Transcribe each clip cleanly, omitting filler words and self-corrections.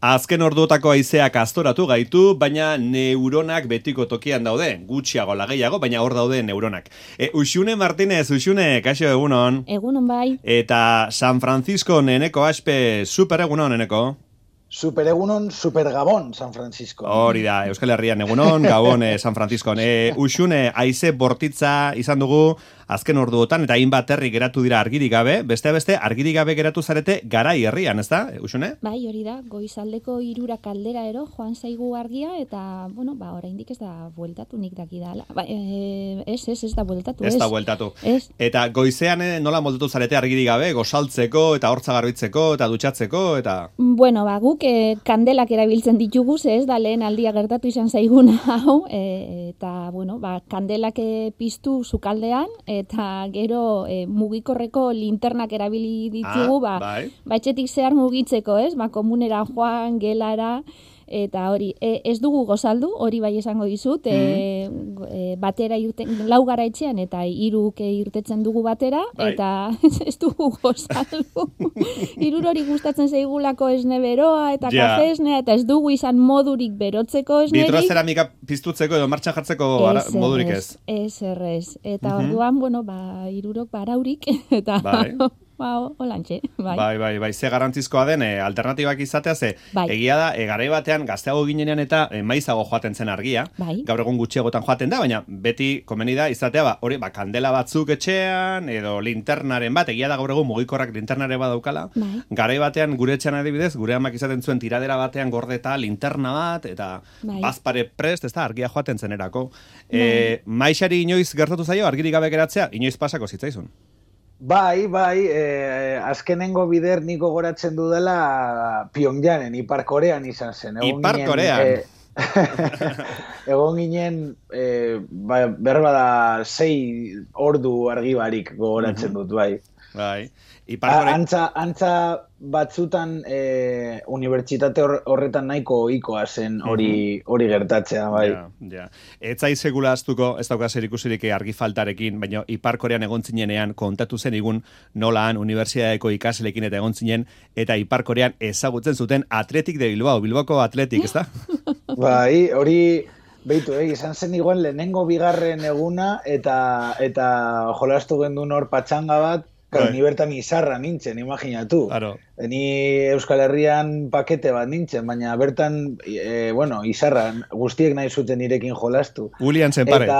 Azken orduotako haizeak aztoratu gaitu, baina neuronak betiko tokian daude, gutxiago lageiago, baina hor daude neuronak. Uxune Martínez, Uxune, kaixo egunon. Egunon bai. Eta San Francisco neneko aspe, super egunon neneko. Super egunon, super Gabon, San Francisco. Hori da, Euskal Herrian egunon, Gabon, San Francisco. Uxune, haize bortitza izan dugu azken orduotan, eta hainbat herri geratu dira argirik gabe, beste argirik gabe geratu zarete Garai herrian, ez da, Uxune? Bai, hori da, goizaldeko 3 kaldera ero, joan zaigu argia, eta, bueno, oraindik ez da bueltatu nik dakidala. Ez da bueltatu. Ez da bueltatu. Eta goizean nola moldatu zarete argirik gabe, gozaltzeko, eta hortza garbitzeko, eta dutxatzeko, eta... Bueno, guk kandelak erabiltzen ditugu, ez da lehen aldia gertatu izan zaiguna hau, eta, bueno, kandelak piztu sukaldean, eta gero mugikorreko linternak erabili ditugu, etxetik zehar mugitzeko, ez? Komunera joan, gelara, eta hori, ez dugu gozaldu, hori bai esango dizut, batera lau gara etxean, eta 3 irtetzen dugu batera, eta ez dugu gozaldu. 3 hori gustatzen zaigulako esne beroa, eta kafe esnea, eta ez dugu izan modurik berotzeko esnerik. Vitrozeramika piztutzeko edo martxan jartzeko modurik ez. Ez. Eta orduan, bueno, 3 baraurik, eta... Olantxe, bai. Bai, ze garantzizkoa den alternatibak izatea, ze egia da, garai batean gazteago ginenean eta maizago joaten zen argia, gaur egun gutxiagotan joaten da, baina beti komeni da izatea, hori, kandela batzuk etxean, edo linternaren bat, egia da gaur egun mugikorrak linternare bat daukala, garai batean gure etxean adibidez, gure amak izaten zuen tiradera batean gordeta linterna bat, eta bazpare prest, ez da, argia joaten zenerako. Maixari inoiz gertatu zaio, argirik gabe geratzea, inoiz pasako zitzaizun. Bai, azkenengo bider niko goratzen dudala Pyongyanen, Ipar Korean izan zen. Ipar Korean? Egon ginen, berbada 6 ordu argi barik gogoratzen dut, bai. Bai. Antza batzutan unibertsitate horretan nahiko ohikoa zen hori gertatzea, bai. Ja. Ez zaiz segula aztuko, ez dauka zer ikusirik argi faltarekin, baina Ipar Korean egon zinenean kontatu zen igun nolaan unibertsitateko ikasleekin eta egon zinen, eta Ipar Korean ezagutzen zuten Athletic de Bilbao, Bilboko Athletic, ez da? Bai, hori... Beitu, izan zen igual lehenengo bigarren eguna eta jolastu gendun hor patxanga bat, ni bertan izarra nintzen, imaginatu. Claro. Ni Euskal Herrian pakete bat nintzen, baina bertan, izarra, guztiek nahi zuten nirekin jolastu. Julian zenpare.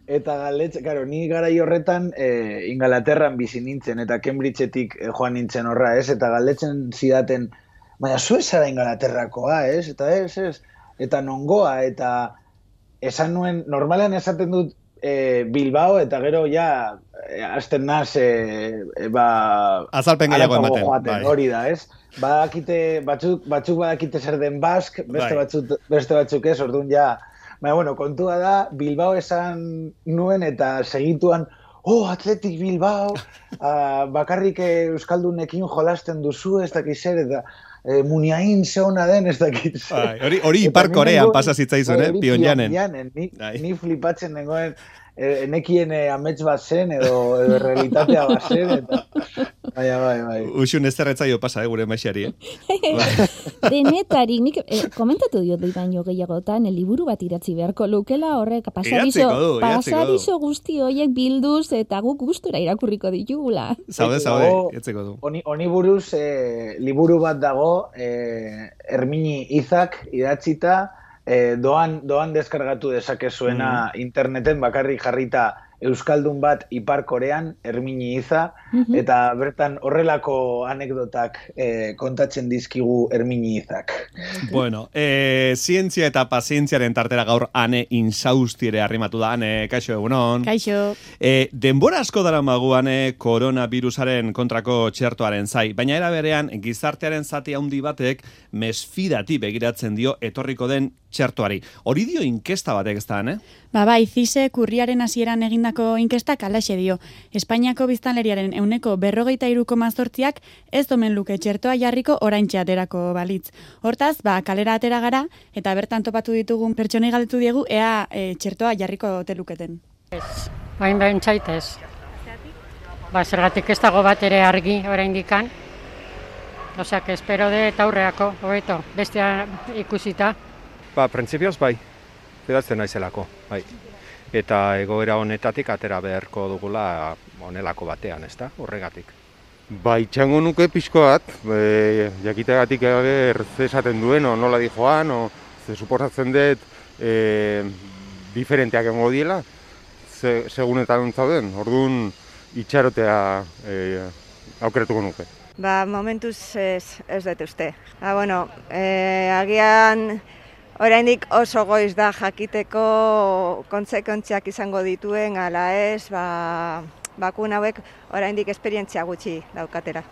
Eta galetxe, ni garai horretan Ingalaterran bizi nintzen, eta Cambridgeetik joan nintzen horra, ez? Eta galetzen zidaten, baina zu zara Ingalaterrakoa, ez? Eta ez. Eta nongoa, eta esan nuen, normalean esaten dut Bilbao, eta gero ja hasten naz azalpen gehiago ematen. Hori da, ez? Batzuk badakite zer den Bask, beste batzuk ez, orduan ja. Baina, kontua da, Bilbao esan nuen eta segituan, Athletic Bilbao, bakarrik Euskaldunekin jolasten duzu, ez dakiz zer, eta Muniain ze hona den, ez dakit. Hori Ipar Korean pasa zitzaizun, Pyongyanen. Ni flipatzen dengoen, nekien amets bat zen, edo realitatea bat zen, eta... Bai. Uxun ez zerretzaio pasa, gure maixari, Denetarik, nik komentatu diot baino gehiagotan, liburu bat idatzi beharko lukela, horrek pasadizo guzti horiek bilduz, eta guk gustura irakurriko ditugula. Zaude, etzeko du. Honi buruz, liburu bat dago, Hermini Izak idatzita, doan deskargatu dezakezuena interneten, bakarrik jarrita Euskaldun bat Ipar Korean, Hermini Iza, eta bertan horrelako anekdotak kontatzen dizkigu Hermini Izak. Bueno, zientzia eta pazientziaren tartera gaur Ane Insaustiere arrimatu da. Ane, kaixo egunon. Kaixo. Denbora asko daramagu Ane koronavirusaren kontrako txertoaren zai, baina era berean gizartearen zati handi batek mesfidati begiratzen dio etorriko den txertoari. Hori dio inkesta batek ez da, Bai, CISEk urriaren hasieran egindako inkestak halaxe dio. Espainiako biztanleriaren 43,8%ak ez omen luke txertoa jarriko oraintxe aterako balitz. Hortaz, kalera atera gara eta bertan topatu ditugun pertsonei galdetu diegu ea txertoa jarriko ote luketen. Ez, bain zaitez. Zergatik ez dago bat ere argi oraindikan. Osea, que espero de aurreako, hobeto, bestea ikusita. Printzipioz bai, fidatzen naizelako, bai. Eta egoera honetatik atera beharko dugula honelako batean, ezta? Horregatik. Bai, txango nuke pixko bat, jakitegatik ze esaten duen, nola di joan, ze suposatzen dut diferenteak egongo diela, segunetan zauden, orduan itxarotea aukeratuko nuke. Momentuz ez dut uste. Agian oraindik oso goiz da jakiteko kontsekuentziak izango dituen, ala ez, bakuna hauek oraindik esperientzia gutxi daukatera.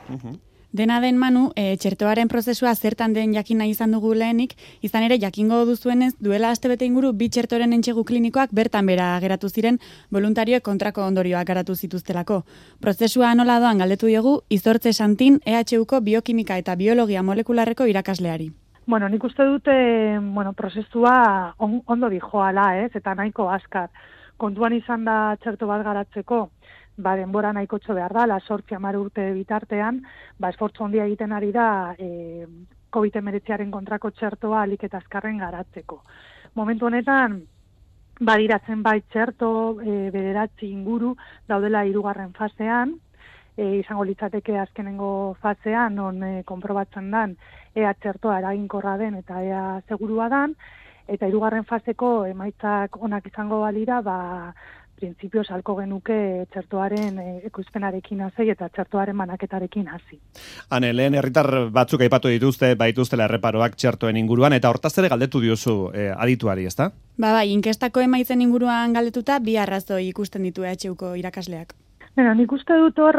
Dena den Manu, txertoaren prozesua zertan den jakin nahi izan dugu lehenik, izan ere jakingo duzuenez duela astebete inguru 2 txertoren entsegu klinikoak bertan bera geratu ziren voluntarioek kontrako ondorioak garatu zituztelako. Prozesua nola doan galdetu diogu Izortze Santin EHUko biokimika eta biologia molekularreko irakasleari. Nik uste dute, prozesua ondo dijoala, eta nahiko azkar. Kontuan izan da txerto bat garatzeko, denbora nahikotxo behar da, 8-10 urte bitartean, esfortzu handia egiten ari da COVID-19 kontrako txertoa alik eta azkarren garatzeko. Momentu honetan, badiratzen txerto, 9 inguru daudela 3. fasean, izango litzateke azkenengo fasean, non konprobatzen dan, ea txertoa eraginkorra den eta ea segurua dan, eta 3. faseko emaitzak onak izango balira, printzipioz halko genuke txertoaren ekoizpenarekin hasi eta txertoaren banaketarekin hasi. Hane, lehen herritar batzuk aipatu baituztela erreparoak txertoen inguruan, eta hortaz ere galdetu diozu adituari, ezta? Inkestako emaitzen inguruan galdetuta, 2 arrazoi ikusten ditu EHUko irakasleak. Nik uste dut hor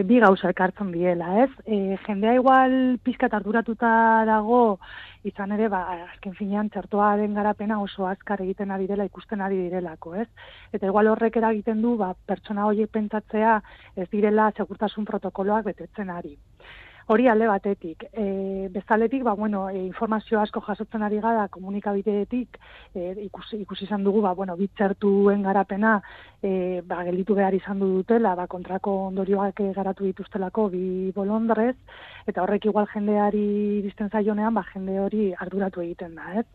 2 gauza ekartzen diela, ez? Jendea igual pizkat arduratuta dago, izan ere, azken finean txertoaren garapena oso azkar egiten ari dela, ikusten ari direlako, ez? Eta igual horrek eragiten du, pertsona horiek pentsatzea ez direla segurtasun protokoloak betetzen ari. Hori alde batetik. Bezaletik, informazio asko jasotzen ari gara komunikabideetik, ikusi izan dugu, bitxertuen garapena gelditu behar izan dutela, kontrako ondorioak garatu dituztelako 2 bolondrez, eta horrek igual jendeari bizten zaionean, jende hori arduratu egiten da, ez?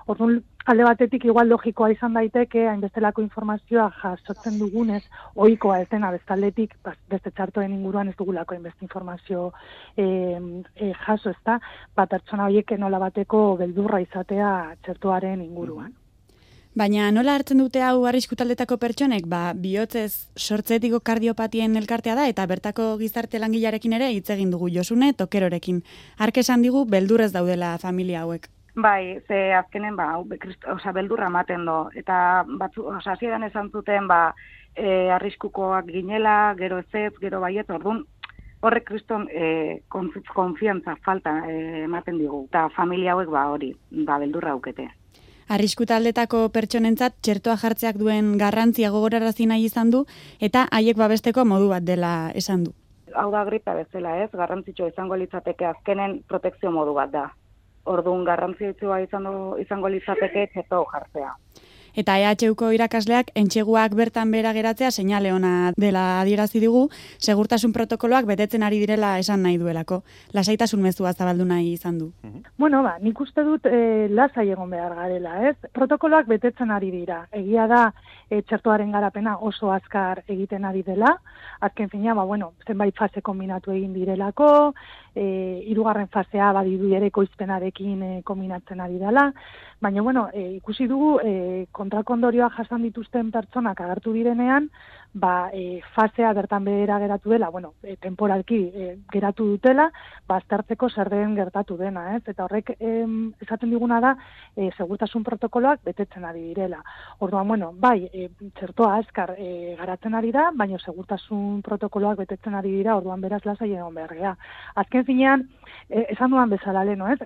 Orduan, alde batetik igual logikoa izan daiteke, hainbestelako informazioa jasotzen dugunez, ohikoa ez dena bestaldetik, beste txartoen inguruan ez dugulako hainbeste informazio jaso, ez da, pertsona horiek nola bateko beldurra izatea txertoaren inguruan. Baina nola hartzen dute hau arrisku taldetako pertsonek? Bihotzez sortzetiko kardiopatien elkartea da, eta bertako gizarte langilearekin ere hitz egin dugu Josune Tokerorekin. Hark esan digu beldurrez daudela familia hauek. Bai, ze azkenen beldurra ematen do, eta hasieran esan zuten arriskukoak ginela, gero ez, gero baiet, orduan horrek kriston konfiantza falta ematen digu, eta familia hauek hori, beldurra aukete. Arrisku taldetako pertsonentzat txertoa jartzeak duen garrantzia gogorarazi nahi izan du, eta haiek babesteko modu bat dela esan du. Hau da gripa bezala, ez, garrantzitsua izango litzateke azkenen protekzio modu bat da. Orduan garrantzitsua izango litzateke txerto jartzea. Eta EHUko irakasleak entseguak bertan behera geratzea seinale ona dela adierazi digu, segurtasun protokoloak betetzen ari direla esan nahi duelako. Lasaitasun mezua zabaldu nahi izan du. Nik uste dut lasai egon behar garela, ez? Protokoloak betetzen ari dira. Egia da txertoaren garapena oso azkar egiten ari dela. Azken fina, zenbait fase kombinatu egin direlako, 3. fasea badidu ere ekoizpenarekin kombinatzen ari dela. Baina, ikusi dugu kontrako ondorioak jasan dituzten pertsonak agertu direnean, fasea bertan behera geratu dela, temporalki geratu dutela, aztertzeko zer den gertatu dena, ez? Eta horrek esaten diguna da, segurtasun protokoloak betetzen ari direla. Orduan, txertoa azkar garatzen ari da, baina segurtasun protokoloak betetzen ari dira, orduan beraz lasai egon behar gea. Azken finean, esan duan bezala leno, ez?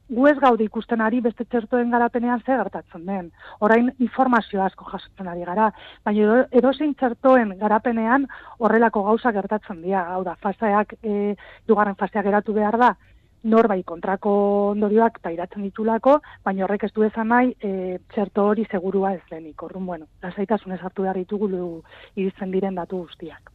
Gu ez gaude ikusten ari beste txertoen garapenean ze gertatzen den. Orain informazio asko jasotzen ari gara, baina edozein txertoen garapenean horrelako gauza gertatzen dira. Hau da, faseak, 2. fasea geratu behar da, norbait kontrako ondorioak pairatzen ditulako, baina horrek ez du esan nahi txerto hori segurua ez denik. Orduan, lasaitasunez hartu behar ditugu iristen diren datu guztiak.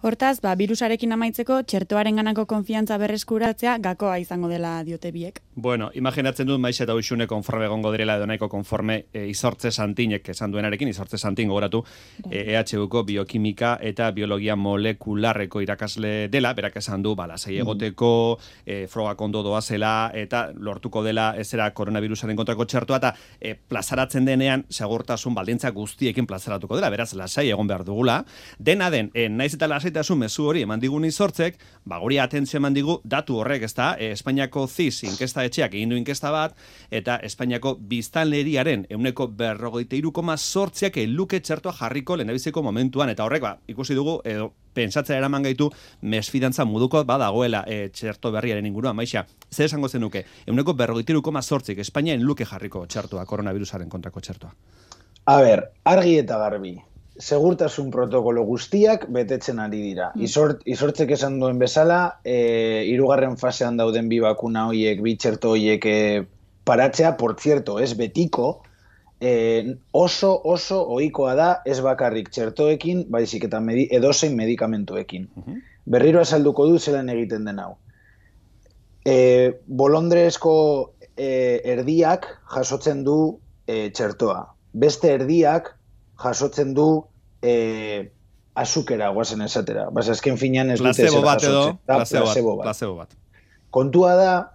Hortaz, virusarekin amaitzeko txertoaren ganako konfiantza berreskuratzea gakoa izango dela diote biek. Bueno, imaginatzen dut Maixa eta Uxune konforme egongo direla edo nahiko konforme Izortze Santinek esan duenarekin, Izortze Santin gogoratu EHUko biokimika eta biologia molekularreko irakasle dela, berak esan du, lasai egoteko, frogak ondo doazela eta lortuko dela ezera koronavirusaren kontrako txertoa eta plazaratzen denean segurtasun baldintza guztiekin plazaratuko dela, beraz lasai egon behar dugula. Dena den, naiz eta lasaitasun mezu hori eman digun Izortzek, guri atentzio eman digu datu horrek, ezta? Espainiako CIS inkesta etxeak egin du inkesta bat, eta Espainiako biztanleriaren 43,8ak luke txertoa jarriko lehendabiziko momentuan, eta horrek, ikusi dugu, edo pentsatzea eraman gaitu mesfidantza moduko badagoela txerto berriaren inguruan, Maixa. Zer esango zenuke, 43,8ak Espainian luke jarriko txertoa, koronavirusaren kontrako txertoa? A ber, argi eta garbi. Segurtasun protokolo guztiak betetzen ari dira. Izortzek esan duen bezala, 3. fasean dauden bi bakuna hoiek, bi txerto hoiek paratzea, por cierto, ez betiko, oso ohikoa da ez bakarrik txertoekin, baizik eta edozein medikamentuekin. Berriro azalduko du zelan egiten den hau. Bolondrezko erdiak jasotzen du txertoa. Beste erdiak jasotzen du azukera, guazen esatera. Azken finean ez dute zer jasotzen. Placebo bat. Kontua da,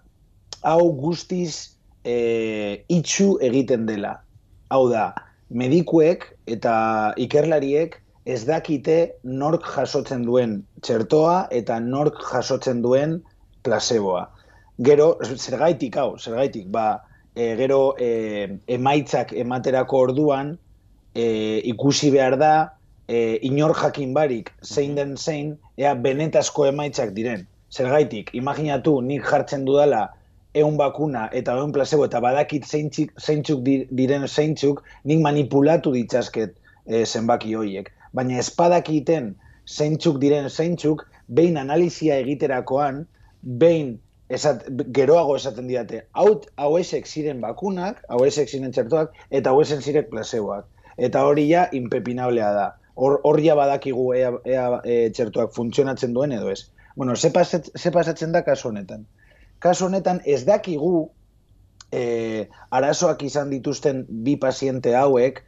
hau guztiz itxu egiten dela. Hau da, medikuek eta ikerlariek ez dakite nork jasotzen duen txertoa eta nork jasotzen duen placeboa. Gero, zergaitik, gero emaitzak ematerako orduan, ikusi behar da, inor jakin barik zein den zein, ea benetazko emaitzak diren. Zergaitik, imaginatu nik jartzen dudala 100 bakuna eta 100 placebo eta badakit zeintzuk diren zeintzuk, nik manipulatu ditzazket zenbaki horiek. Baina espadakiten zeintzuk diren zeintzuk, behin analizia egiterakoan, behin geroago esaten didate, hauesek ziren bakunak, hauesek ziren txertoak, eta hauesek ziren placeboak. Eta hori ja impepinablea da. Hor ja badakigu ea txertoak funtzionatzen duen edo ez. Bueno, ze pasatzen da kasu honetan. Kasu honetan ez dakigu arazoak izan dituzten bi paziente hauek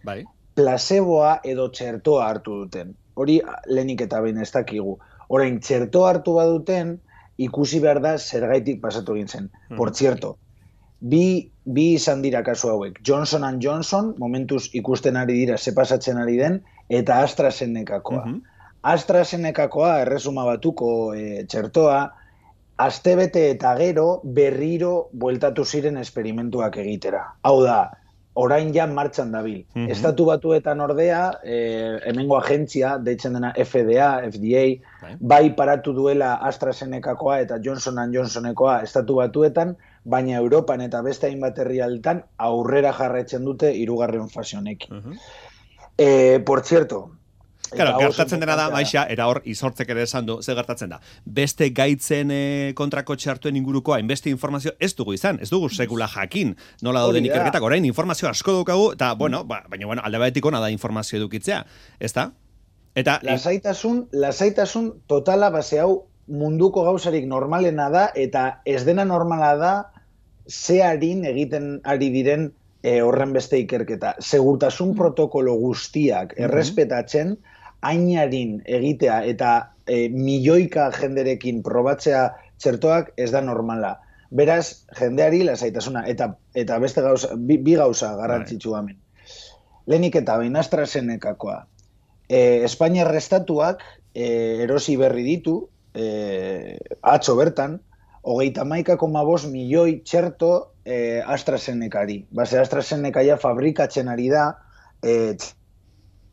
placeboa edo txertoa hartu duten. Hori lehenik eta behin ez dakigu. Orain, txertoa hartu baduten, ikusi behar da zergaitik pasatu egin zen. Por cierto, bi izan dira kasu hauek. Johnson & Johnson, momentuz ikusten ari dira ze pasatzen ari den, eta AstraZenecakoa. AstraZenecakoa, erresuma batuko txertoa, astebete eta gero berriro bueltatu ziren esperimentuak egitera. Hau da, orain ja martxan dabil. Estatu Batuetan ordea, hemengo agentzia, deitzen dena FDA, bai paratu duela AstraZenecakoa eta Johnson & Johnsonekoa Estatu Batuetan, baina Europan eta beste hainbat herrialdetan aurrera jarraitzen dute 3. fase honekin. Por cierto, Claro, gertatzen dena da, Maixa, eta hor Izortzek ere esan du, ze gertatzen da. Beste gaitzen kontrako txartuen inguruko hainbeste informazio ez dugu izan, ez dugu sekula jakin, nola dauden ikerketak, orain informazio asko daukagu, eta, baina, alde batetik ona da informazio edukitzea, ez da? Eta Lasaitasun totala base hau munduko gauzarik normalena da, eta ez dena normala da ze harin egiten ari diren horren beste ikerketa. Segurtasun protokolo guztiak errespetatzen, hainarin egitea eta milioika jenderekin probatzea txertoak ez da normala. Beraz, jendeari lasaitasuna, eta beste gauza, bi gauza garrantzitsu hemen. Lehenik eta behin AstraZenecakoa. Espainiar estatuak erosi berri ditu, atzo bertan, 31,5 milioi txerto AstraZenecari. Base AstraZeneca ja fabrikatzen ari da,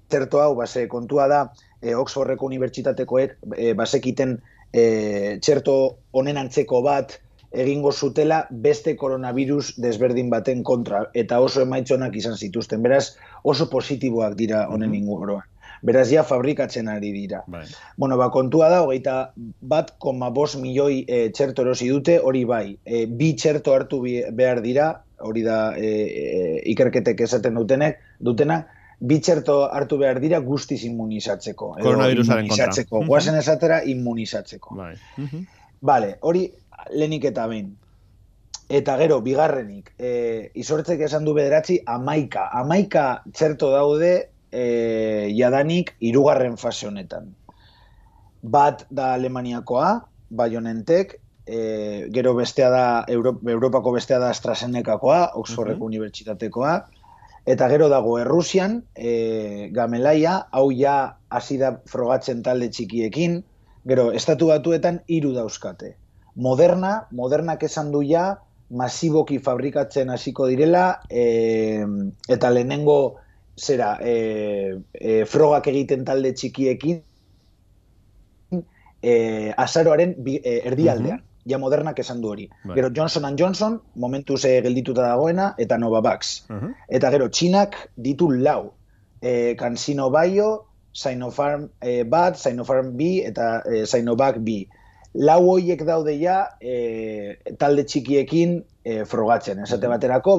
txerto hau, base kontua da, Oxfordeko unibertsitatekoek basekiten txerto honen antzeko bat egingo zutela beste koronavirus desberdin baten kontra, eta oso emaitzonak izan zituzten. Beraz, oso positiboak dira honen inguruan. Beraz, ja fabrikatzen ari dira. Bueno, kontua da, 21,5 milioi txerto erosi dute, hori bai. Bi txerto hartu behar dira, hori da ikerketek esaten dutena, bi txerto hartu behar dira guztiz immunizatzeko. Koronavirusaren kontra. Guazen esatera immunizatzeko. Vale, hori lehenik eta behin. Eta gero, bigarrenik, izortzek esan du 9, 11. 11 txerto daude jadanik 3. fase honetan. Bat da Alemaniakoa, BioNTech, gero bestea da, Europako bestea da AstraZenecakoa, Oxfordeko unibertsitatekoa, eta gero dago Errusian, Gamaleya, hau ja hasi da frogatzen talde txikiekin, gero Estatu Batuetan 3 dauzkate. Modernak esan du ja, masiboki fabrikatzen hasiko direla, eta lehenengo frogak egiten talde txikiekin, azaroaren erdialdean. Ja Modernak esan du hori. Gero Johnson & Johnson, momentuz geldituta dagoena, eta Novavax. Eta gero Txinak ditu 4. CanSino Bio, Sinopharm bat, Sinopharm B, eta Sinovac B. 4 horiek daude ja talde txikiekin frogatzen. Esate baterako,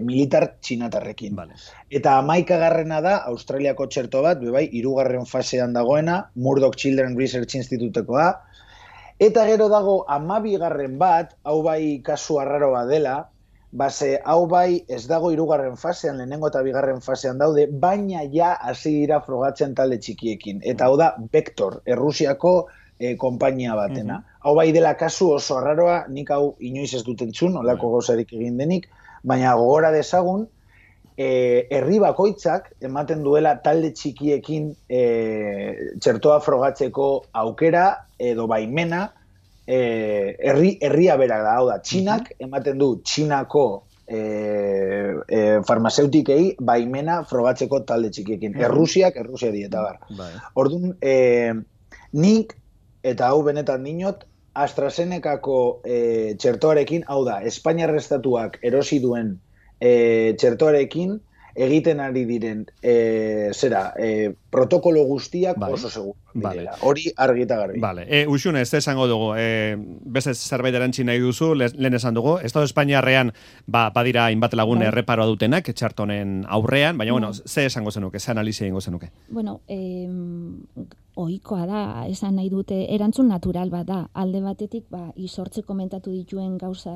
militar txinatarrekin. Eta 11. da, Australiako txerto bat, 3. fasean dagoena, Murdoch Children Research Institutekoa. Eta gero dago 12. bat, hau bai kasu arraroa dela, hau bai ez dago 3. fasean, lehenengo eta 2. fasean daude, baina ja hasi dira frogatzen talde txikiekin. Eta hau da Vector, Errusiako konpainia batena. Hau bai dela kasu oso arraroa, nik hau inoiz ez dut entzun, olako gauzarik egin denik, baina gogora dezagun, herri bakoitzak ematen duela talde txikiekin txertoa frogatzeko aukera edo baimena, herria bera da, hau da, Txinak ematen du Txinako farmazeutikei baimena frogatzeko talde txikiekin. Errusia dieta bar. Orduan, nik, eta hau benetan dinot, AstraZenecako txertoarekin, hau da, Espainiar Estatuak erosi duen txertoarekin egiten ari diren protokolo guztiak oso seguro direla. Hori argi eta garbi. Uxune, ez esango dugu, beste zerbait erantzi nahi duzu, lehen esan dugu, Estado Espainiarrean badira hainbat lagun erreparoa dutenak txertonen aurrean, baina, ze esango zenuke, ze analizia ingo zenuke? Bueno, ohikoa da, esan nahi dute, erantzun natural bat da, alde batetik, izortze komentatu dituen gauza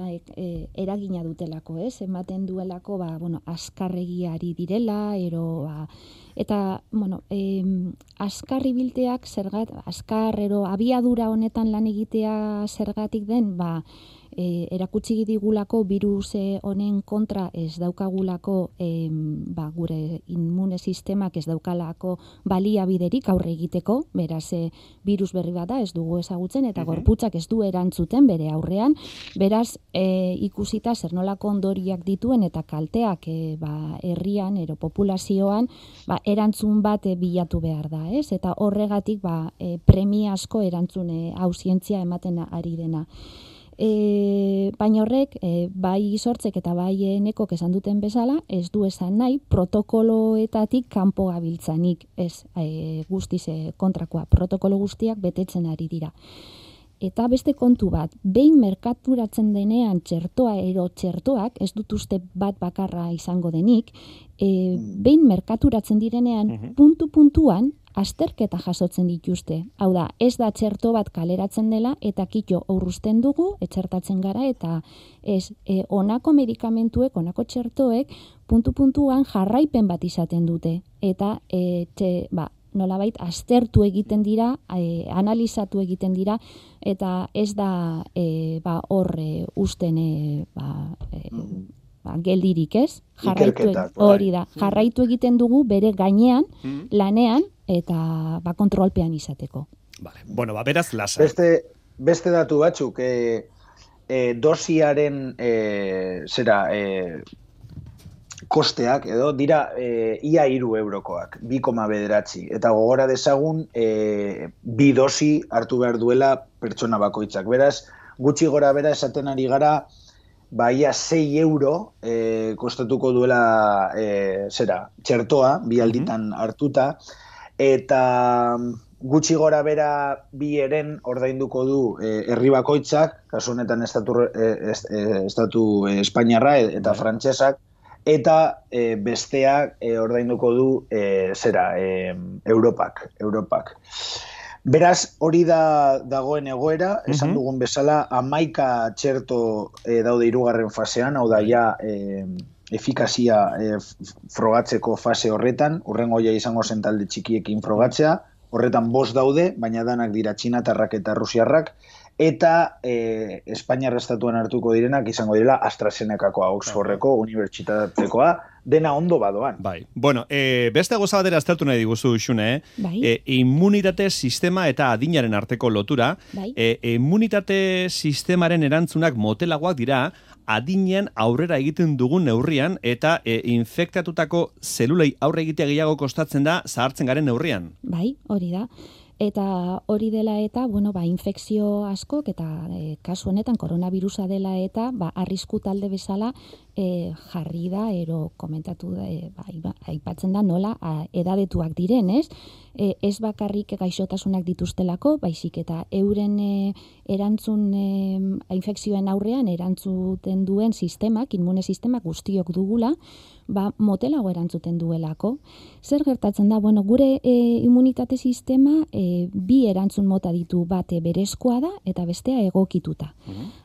eragina dutelako, ematen duelako, askarregiari direla, eta, askarri bilteak askar, abiadura honetan lan egitea zergatik den, erakutsi digulako virus honen kontra ez daukagulako gure immune sistemak ez daukalako baliabiderik aurre egiteko, beraz virus berri bat da, ez dugu ezagutzen eta gorputzak ez du erantzuten bere aurrean, beraz ikusita zer nolako ondoriak dituen eta kalteak herrian, populazioan, erantzun bat bilatu behar da, eta horregatik premiazko erantzun hau zientzia ematen ari dena. Baina horrek, bai izortzek eta bai nekok esan duten bezala, ez du esan nahi protokoloetatik kanpo gabiltzanik, ez guztiz kontrakoa, protokolo guztiak betetzen ari dira. Eta beste kontu bat, behin merkaturatzen denean txertoak, ez dut uste bat bakarra izango denik, behin merkaturatzen direnean puntuan, azterketa jasotzen dituzte. Hau da, ez da txerto bat kaleratzen dela eta kitxo aurruzten dugu, etxertatzen gara eta ez honako medikamentuek, honako txertoek puntuan jarraipen bat izaten dute. Eta nolabait aztertu egiten dira, analizatu egiten dira eta ez da hor usten geldirik, ez? Hori da, jarraitu egiten dugu bere gainean, lanean, eta kontrolpean izateko. Bueno, beraz, lasa. Beste datu batzuk, dosiaren kosteak, edo, dira ia 3 eurokoak, 2,9. Eta gogora dezagun, 2 dosi hartu behar duela pertsona bakoitzak. Beraz, gutxi gora bera esaten ari gara, ia 6 euro kostatuko duela txertoa, 2 alditan hartuta, eta gutxi gora bera 2 eren ordainduko du herri bakoitzak, kasu honetan estatu Espainiarra eta frantsesak, eta besteak ordainduko du Europak. Beraz, hori dagoen egoera, esan dugun bezala, 11 txerto daude 3. fasean, hau da ja efikazia frogatzeko fase horretan, hurrengoia izango zen talde txikiekin frogatzea, horretan 5 daude, baina danak dira txinatarrak eta rusiarrak, eta Espainiar estatuan hartuko direnak izango direla AstraZenecakoa, Oxfordeko unibertsitatekoa, dena ondo badoan. Bai. Bueno, beste goza batera aztertu nahi diguzu, Xune, immunitate sistema eta adinaren arteko lotura, immunitate sistemaren erantzunak motelagoak dira, adinen aurrera egiten dugun neurrian, eta infektatutako zelulei aurre egitea gehiago kostatzen da zahartzen garen neurrian. Bai, hori da. Eta hori dela eta, infekzio askok, eta kasu honetan koronavirusa dela eta, arrisku talde bezala jarri da, komentatu da, aipatzen da nola edadetuak diren, ez? Ez bakarrik gaixotasunak dituztelako, baizik eta euren infekzioen aurrean erantzuten duen sistemak, immune sistemak guztiok dugula, motelago erantzuten duelako. Zer gertatzen da? Gure immunitate sistema bi erantzun mota ditu, bate berezkoa da eta bestea egokituta.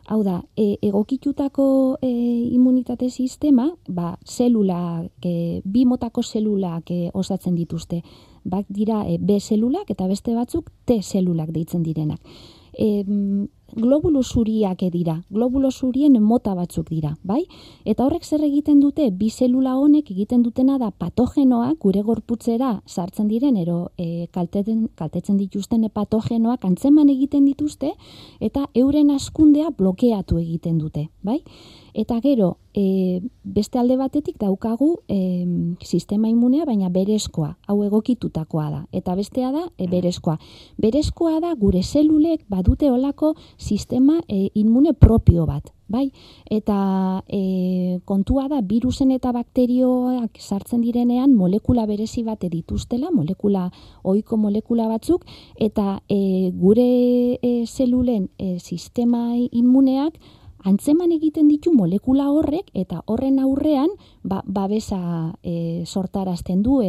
Hau da, egokitutako immunitate sistema, bi motako zelulak osatzen dituzte. Bat dira B zelulak eta beste batzuk T zelulak deitzen direnak. Globulo zuriak dira, globulo zurien mota batzuk dira, bai? Eta horrek zer egiten dute, bi zelula honek egiten dutena da patogenoak gure gorputzera sartzen diren, kaltetzen dituzten patogenoak antzeman egiten dituzte, eta euren hazkundea blokeatu egiten dute, bai? Eta gero, beste alde batetik daukagu sistema immunea, baina berezkoa, hau egokitutakoa da. Eta bestea da berezkoa. Berezkoa da gure zelulek badute olako sistema immune propio bat. Bai? Eta kontua da, virusen eta bakterioak sartzen direnean molekula berezi bat dituztela, ohiko molekula batzuk, eta gure zelulen sistema immuneak antzeman egiten ditu molekula horrek, eta horren aurrean babesa sortarazten du,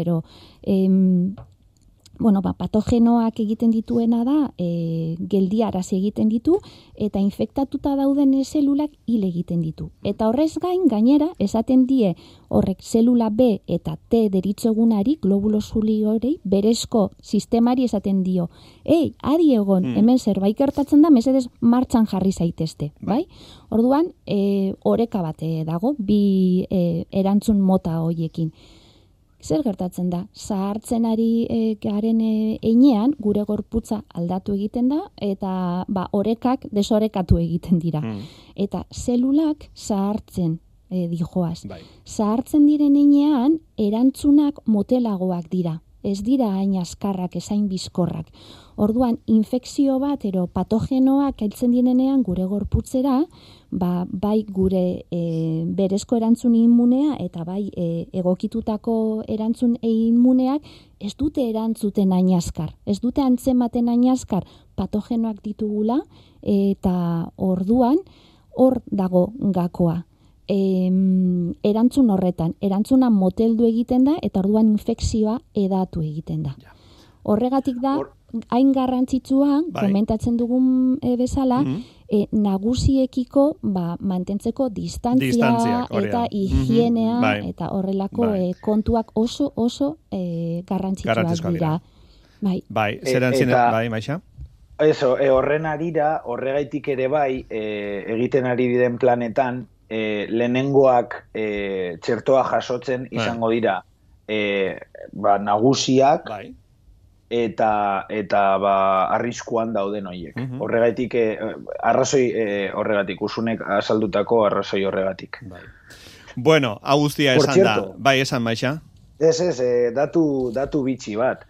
patogenoak egiten dituena da, geldiarazi egiten ditu, eta infektatuta dauden zelulak hil egiten ditu. Eta horrez gainera, esaten die horrek zelula B eta T deritzogunari, globulo zuri hori, berezko sistemari esaten dio. Adi egon, hemen zerbait gertatzen da, mesedez martxan jarri zaitezte, bai? Orduan, oreka bat dago, bi erantzun mota horiekin. Zer gertatzen da? Zahartzen ari garen einean, gure gorputza aldatu egiten da, eta orekak desorekatu egiten dira. Eta zelulak zahartzen dijoaz. Zahartzen diren einean, erantzunak motelagoak dira. Ez dira hain azkarrak, ezain bizkorrak. Orduan, infekzio bat, patogenoak heltzen direnean gure gorputzera, bai gure berezko erantzun immunea eta bai egokitutako erantzun immuneak ez dute erantzuten hain azkar. Ez dute antzematen hain azkar patogenoak ditugula, eta orduan hor dago gakoa. Erantzun horretan, erantzuna moteldu egiten da, eta orduan infekzioa edatu egiten da. Horregatik da, hain garrantzitsua, komentatzen dugun bezala, nagusiekiko mantentzeko distantzia eta higienea, eta horrelako kontuak oso garrantzitsuak dira. Bai, zeran zinen, Maixa? Horren arira, horregaitik ere bai, egiten ari diren planetan, lehenengoak txertoa jasotzen izango dira nagusiak eta arriskuan dauden horiek. Horregatik, horregatik, Usunek azaldutako arrazoi horregatik. Bueno, hau guztia esan da. Bai, esan, Maixa? Ez, datu bitxi bat.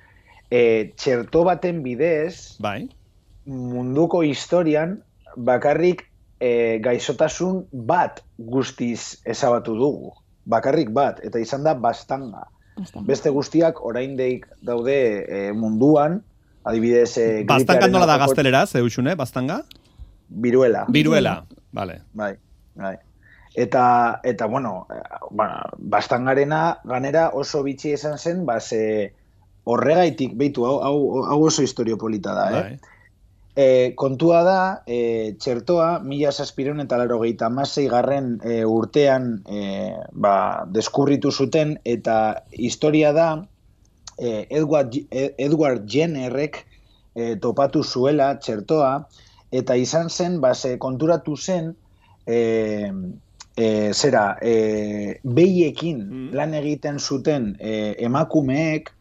Txerto baten bidez, munduko historian, bakarrik gaixotasun bat guztiz ezabatu dugu. Bakarrik bat, eta izan da bastanga. Beste guztiak oraindik daude munduan, adibidez... Bastanga nola da gazteleraz, Eusune, bastanga? Viruela. Viruela, vale. Bai. Eta bueno, Bastangarena ganera oso bitxi izan zen, ze horregaitik, beitu, hau oso historio polita da, kontua da, txertoa, 1786 garren urtean deskurritu zuten, eta historia da, Edward Jennerrek topatu zuela txertoa, eta izan zen, konturatu zen, behiekin lan egiten zuten emakumeek,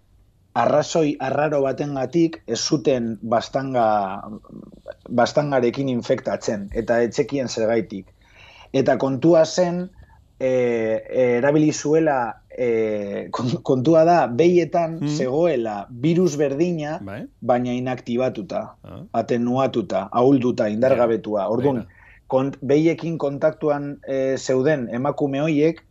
arrazoi arraro batengatik ez zuten bastangarekin infektatzen, eta etxekien zergaitik. Eta kontua zen, erabili zuela, kontua da, behietan zegoela virus berdina, baina inaktibatuta, atenuatuta, ahulduta, indargabetua. Orduan, behiekin kontaktuan zeuden emakume hoiek,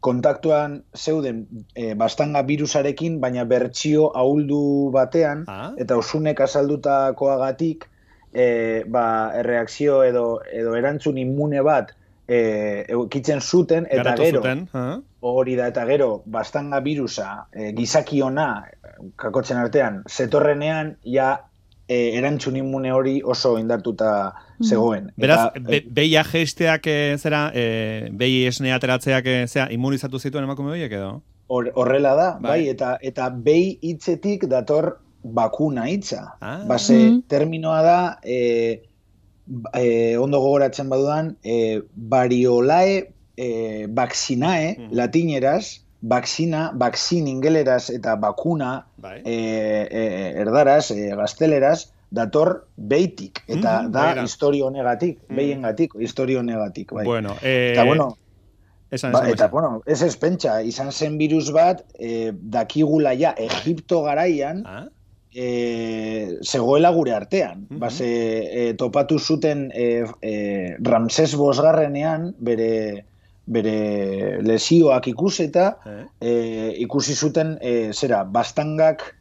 kontaktuan zeuden bastanga virusarekin, baina bertsio ahuldu batean, eta Osunek azaldutakoagatik, erreakzio edo erantzun immune bat eukitzen zuten, eta gero, hori da, eta gero, bastanga virusa gizakiona, kakotzen artean, zetorrenean, ja erantzun immune hori oso indartuta zegoen. Beraz, behia geisteak behi esne ateratzeak immunizatu zituen emakume horiek edo? Horrela da, bai, eta behi hitzetik dator bakuna hitza. Terminoa da, ondo gogoratzen badudan, variolae vaccinae, latineraz, vaccin ingeleraz eta bakuna erdaraz, gazteleraz, dator behitik, eta da historio honegatik, behiengatik, historio honegatik. Eta bueno, ez espentsa, izan zen virus bat, dakigula ja, Egipto garaian, zegoela gure artean. Topatu zuten Ramses bosgarrenean, bere lesioak ikuseta, ikusi zuten, bastangak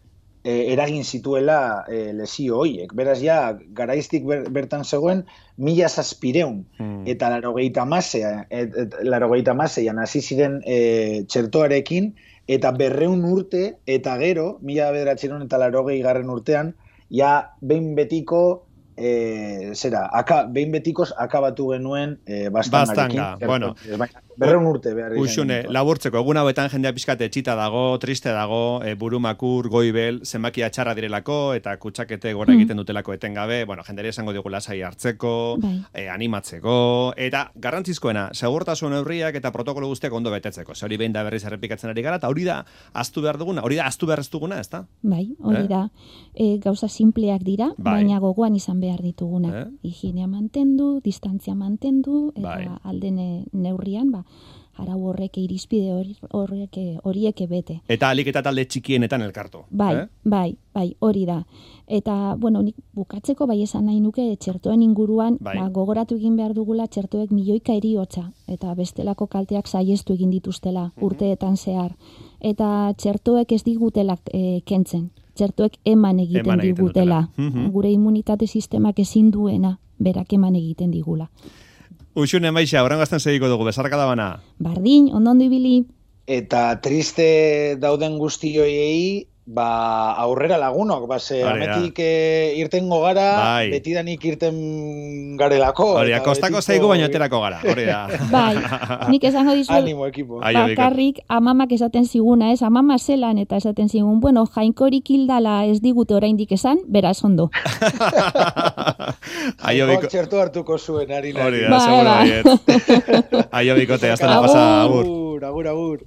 eragin zituela lesio hoiek. Beraz, ja, garaiztik bertan zegoen, 1700 eta 86an hasi ziren txertoarekin, eta 200 urte, eta gero, 1980 garren urtean, ja, behin betiko, behin betikoz akabatu genuen bastangarekin. Bueno. 200 urte behar. Uxune, laburtzeko, egun hauetan jendea pixkate etxita dago, triste dago, burumakur, goibel, zenbakia txarra direlako, eta kutsakete gora egiten dutelako etengabe, jenderi esango digu lasai hartzeko, animatzeko, eta garrantzizkoena, segurtasun neurriak eta protokolo guztiak ondo betetzeko. Ze hori behin da berriz errepikatzen ari gara, eta hori da aztu behar duguna, hori da aztu behar ez duguna, ez da? Bai, hori da. Gauza simpleak dira, baina gogoan izan behar dituguna. Higienea mantendu, distantzia mantendu, eta alden neurrian, arau horrek irizpide horiek bete. Eta alik eta talde txikienetan elkartu. Bai, hori da. Eta, nik bukatzeko bai esan nahi nuke txertoen inguruan, gogoratu egin behar dugula txertoek milioika heriotza, eta bestelako kalteak saihestu egin dituztela, urteetan zehar. Eta txertoek ez digutela kentzen. Txertoek eman egiten digutela. Gure immunitate sistemak ezin duena, berak eman egiten digula. Uxune Maixa, horrengo azten segiko dugu, bezarka da bana. Bardin, ondo ibili. Eta triste dauden guztioiei, aurrera lagunok, ametik irtengo gara, betidanik irten garelako. Hori, kostako zaigu baino aterako gara, hori da. Bai, nik esango dizuet, animo ekipo. Bakarrik amamak esaten ziguna, amama zelan eta esaten zigun, jainkorik hildala ez digute oraindik esan, beraz ondo. Jainkoak txertu hartuko zuen, harina. Hori da, seguro baiet. Aio bikote, hasta la pasa, agur. Agur.